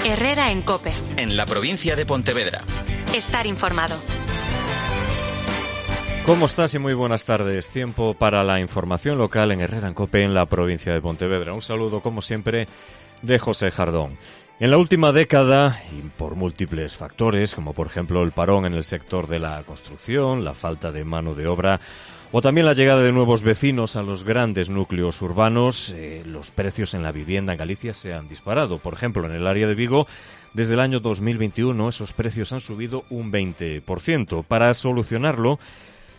Herrera en COPE. En la provincia de Pontevedra. Estar informado. ¿Cómo estás? Y muy buenas tardes. Tiempo para la información local en Herrera en COPE en la provincia de Pontevedra. Un saludo, como siempre, de José Jardón. En la última década, y por múltiples factores, como por ejemplo el parón en el sector de la construcción, la falta de mano de obra o también la llegada de nuevos vecinos a los grandes núcleos urbanos, los precios en la vivienda en Galicia se han disparado. Por ejemplo, en el área de Vigo, desde el año 2021, esos precios han subido un 20%. Para solucionarlo,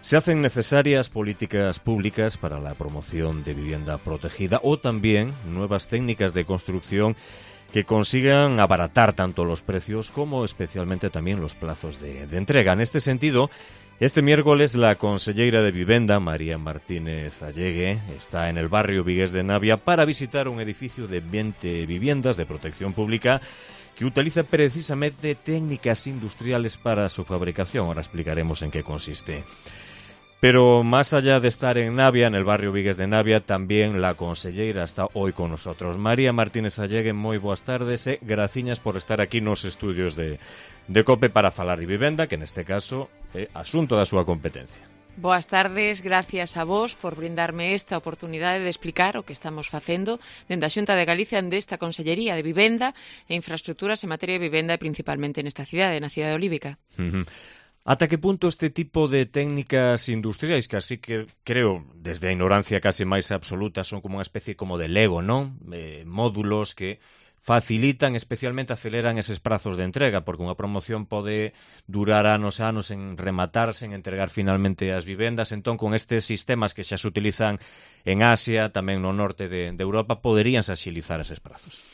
se hacen necesarias políticas públicas para la promoción de vivienda protegida o también nuevas técnicas de construcción que consigan abaratar tanto los precios como especialmente también los plazos de entrega. En este sentido, este miércoles la conselleira de Vivenda, María Martínez Allegue, está en el barrio Vigués de Navia para visitar un edificio de 20 viviendas de protección pública que utiliza precisamente técnicas industriales para su fabricación. Ahora explicaremos en qué consiste. Pero más allá de estar en Navia, en el barrio Vigués de Navia, también la conselleira está hoy con nosotros. María Martínez Allegue, moi boas tardes e graciñas por estar aquí nos estudios de COPE para falar de vivenda, que neste caso é asunto da súa competencia. Boas tardes, gracias a vos por brindarme esta oportunidade de explicar o que estamos facendo dende a Xunta de Galicia desta Consellería de Vivenda e Infraestructuras en materia de vivenda e principalmente nesta cidade, na cidade olívica. Ata que punto este tipo de técnicas industriais, que así que creo, desde a ignorancia case máis absoluta, son como unha especie como de Lego, non? Módulos que facilitan, especialmente aceleran eses prazos de entrega, porque unha promoción pode durar anos e anos en rematarse, en entregar finalmente as vivendas. Entón, con estes sistemas que xa se utilizan en Asia, tamén no norte de Europa, poderíanse axilizar eses prazos.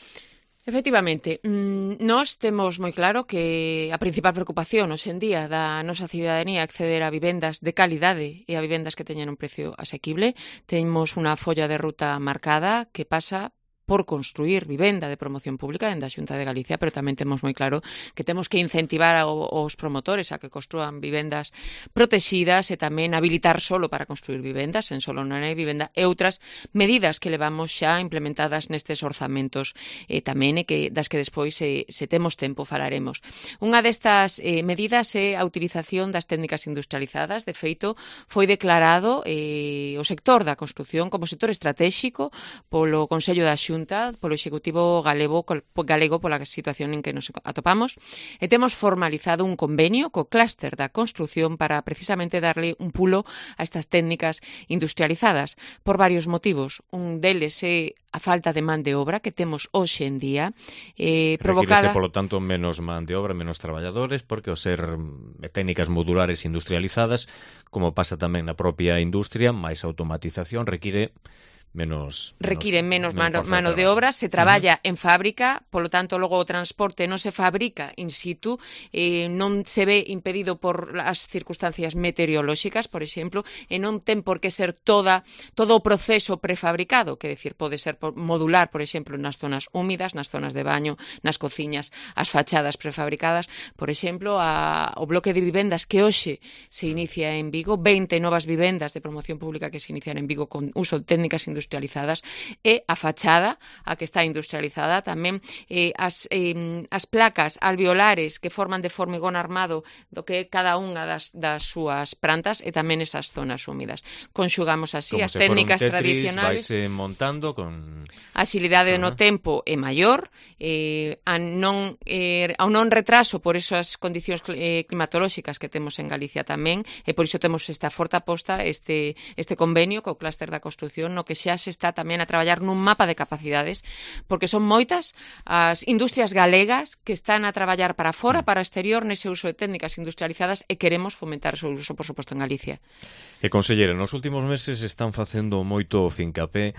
Efectivamente, nós temos moi claro que a principal preocupación hoxe en día da nosa cidadanía acceder a vivendas de calidade e a vivendas que teñan un precio asequible. Temos unha folla de ruta marcada que pasa por construir vivenda de promoción pública dende a Xunta de Galicia, pero tamén temos moi claro que temos que incentivar aos promotores a que construan vivendas protexidas e tamén habilitar solo para construir vivendas, en solo non hai vivenda, e outras medidas que levamos xa implementadas nestes orzamentos tamén e que das que despois, se temos tempo, falaremos. Unha destas medidas é a utilización das técnicas industrializadas. De feito, foi declarado o sector da construcción como sector estratégico polo Consello da Xunta, polo Executivo galego pola situación en que nos atopamos, e temos formalizado un convenio co clúster da construcción para precisamente darle un pulo a estas técnicas industrializadas por varios motivos. Un deles é a falta de man de obra que temos hoxe en día, provocada... Requírese, polo tanto, menos man de obra, menos traballadores, porque ao ser técnicas modulares industrializadas, menos propia industria, máis automatización, require menos mano de obra, se traballa en fábrica, polo tanto, logo o transporte non se fabrica in situ, non se ve impedido por as circunstancias meteorolóxicas, por exemplo, e non ten por que ser todo o proceso prefabricado, que decir, pode ser modular, por exemplo, nas zonas húmidas, nas zonas de baño, nas cociñas, as fachadas prefabricadas. Por exemplo, o bloque de vivendas que hoxe se inicia en Vigo, 20 novas vivendas de promoción pública que se inician en Vigo con uso de técnicas industrializadas, e a fachada, a que está industrializada, tamén as placas alveolares que forman de formigón armado do que é cada unha das súas plantas e tamén esas zonas húmidas. Conxugamos así as técnicas tradicionales. Vaise montando con... A axilidade no tempo é maior, ao non retraso por esas condicións climatolóxicas que temos en Galicia tamén, e por iso temos esta forte aposta, este convenio co clúster da construcción, no que xa se está tamén a traballar nun mapa de capacidades, porque son moitas as industrias galegas que están a traballar para fora, para exterior, nese uso de técnicas industrializadas, e queremos fomentar o seu uso, por suposto, en Galicia. E, conselleira, nos últimos meses están facendo moito fincapé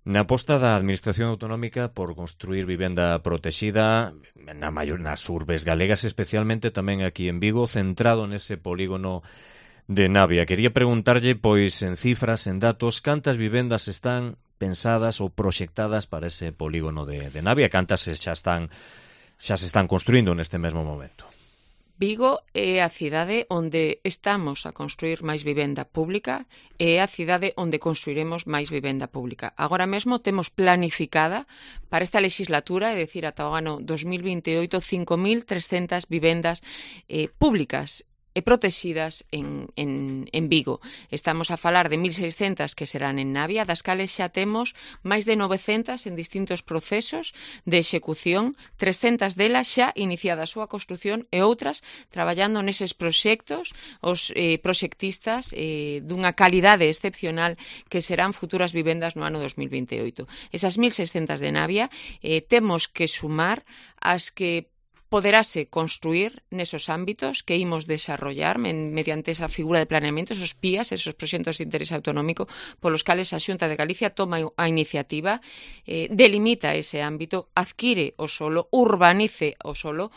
na aposta da Administración Autonómica por construir vivenda protexida nas urbes galegas, especialmente tamén aquí en Vigo, centrado nese polígono de Navia. Quería preguntarlle, pois, en cifras, en datos, cantas vivendas están pensadas ou proxectadas para ese polígono de Navia, cantas xa se están construindo neste mesmo momento. Vigo é a cidade onde estamos a construir máis vivenda pública e é a cidade onde construiremos máis vivenda pública. Agora mesmo temos planificada para esta legislatura, é dicir, ata o ano 2028, 5.300 vivendas públicas e protegidas en Vigo. Estamos a falar de 1.600 que serán en Navia, das cales xa temos máis de 900 en distintos procesos de execución, 300 delas xa iniciada a súa construción e outras traballando neses proxectos, os proxectistas dunha calidade excepcional que serán futuras vivendas no ano 2028. Esas 1.600 de Navia temos que sumar as que poderase construir nesos ámbitos que imos desarrollar mediante esa figura de planeamento, esos PIAs, esos proxectos de interés autonómico, polos cales a Xunta de Galicia toma a iniciativa, delimita ese ámbito, adquire o solo, urbaniza o solo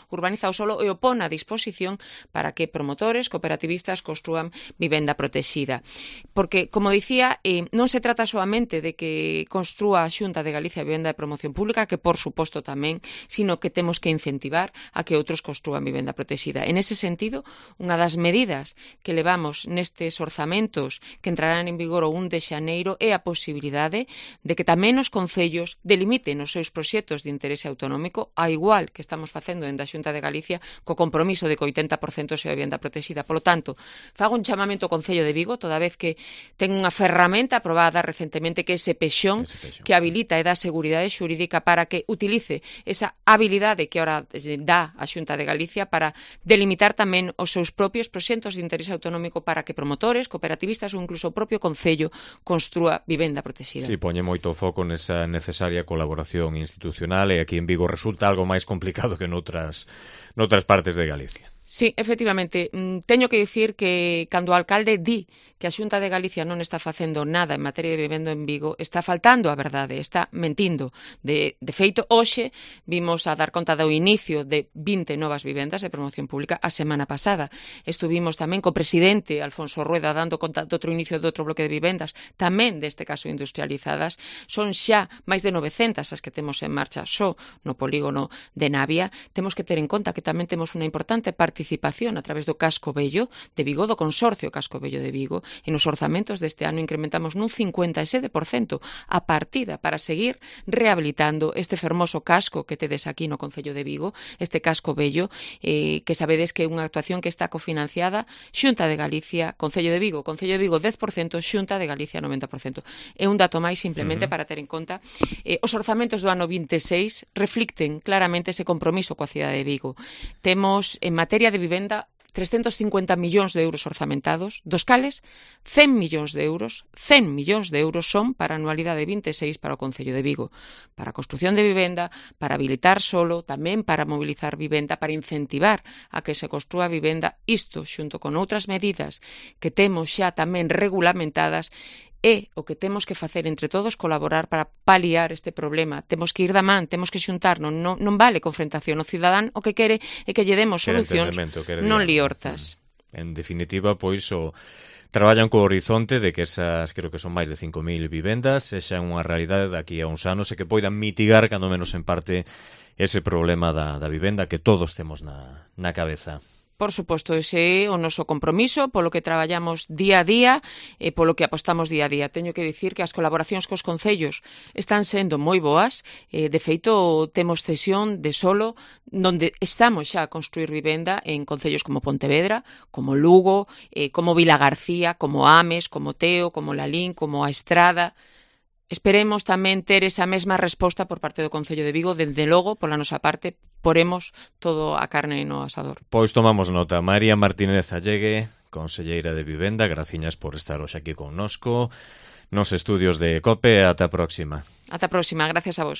e o pon a disposición para que promotores, cooperativistas construan vivenda protexida. Porque, como dicía, non se trata solamente de que construa a Xunta de Galicia vivenda de promoción pública, que por suposto tamén, sino que temos que incentivar a que outros construan vivenda protexida. En ese sentido, unha das medidas que levamos nestes orzamentos que entrarán en vigor o 1 de xaneiro é a posibilidade de que tamén os concellos delimiten os seus proxectos de interese autonómico, a igual que estamos facendo dentro da Xunta de Galicia co compromiso de que o 80% sea vivenda protexida. Polo tanto, fago un chamamento ao Concello de Vigo, toda vez que ten unha ferramenta aprobada recentemente que é ese pexón que habilita e dá seguridade xurídica para que utilice esa habilidade que ahora dá a Xunta de Galicia para delimitar tamén os seus propios proxectos de interese autonómico para que promotores, cooperativistas ou incluso o propio Concello construa vivenda protexida. Si, poñe moito foco nesa necesaria colaboración institucional e aquí en Vigo resulta algo máis complicado que noutras partes de Galicia. Sí, efectivamente. Teño que dicir que cando o alcalde di que a Xunta de Galicia non está facendo nada en materia de vivenda en Vigo, está faltando a verdade, está mentindo. De feito, hoxe vimos a dar conta do inicio de 20 novas vivendas de promoción pública a semana pasada. Estuvimos tamén co presidente Alfonso Rueda dando conta do outro inicio de outro bloque de vivendas, tamén deste caso industrializadas. Son xa máis de 900 as que temos en marcha só no polígono de Navia. Temos que ter en conta que tamén temos unha importante participación a través do Casco Vello de Vigo, do Consorcio Casco Vello de Vigo, e nos orzamentos deste ano incrementamos nun 57% a partida para seguir rehabilitando este fermoso casco que tedes aquí no Concello de Vigo, este Casco Vello, que sabedes que é unha actuación que está cofinanciada Xunta de Galicia, Concello de Vigo 10%, Xunta de Galicia 90%. É un dato máis simplemente para ter en conta. Os orzamentos do ano 26 reflicten claramente ese compromiso coa cidade de Vigo. Temos en materia de vivenda 350 millóns de euros orzamentados, dos cales 100 millóns de euros son para a anualidade 26 para o Concello de Vigo, para a construción de vivenda, para habilitar solo, tamén para mobilizar vivenda, para incentivar a que se construa vivenda, isto xunto con outras medidas que temos xa tamén regulamentadas. É o que temos que facer entre todos, colaborar para paliar este problema. Temos que ir da man, temos que xuntar, non vale confrontación. O cidadán o que quere é que lle demos solucións, non liortas. En definitiva, pois, traballan co horizonte de que esas, creo que son máis de 5.000 vivendas, sexan unha realidade daqui a uns anos e que poidan mitigar, cando menos en parte, ese problema da vivenda que todos temos na cabeza. Por suposto, ese é o noso compromiso, polo que traballamos día a día e polo que apostamos día a día. Teño que dicir que as colaboracións cos concellos están sendo moi boas. De feito, temos cesión de solo, donde estamos xa a construir vivenda en concellos como Pontevedra, como Lugo, como Vilagarcía, como Ames, como Teo, como Lalín, como A Estrada. Esperemos tamén ter esa mesma resposta por parte do Concello de Vigo. Dende logo, pola nosa parte, poremos todo a carne no asador. Pois tomamos nota. María Martínez Allegue, conselleira de Vivenda, graciñas por estar hoxe aquí connosco nos estudios de COPE. Ata a próxima. Ata a próxima, gracias a vos.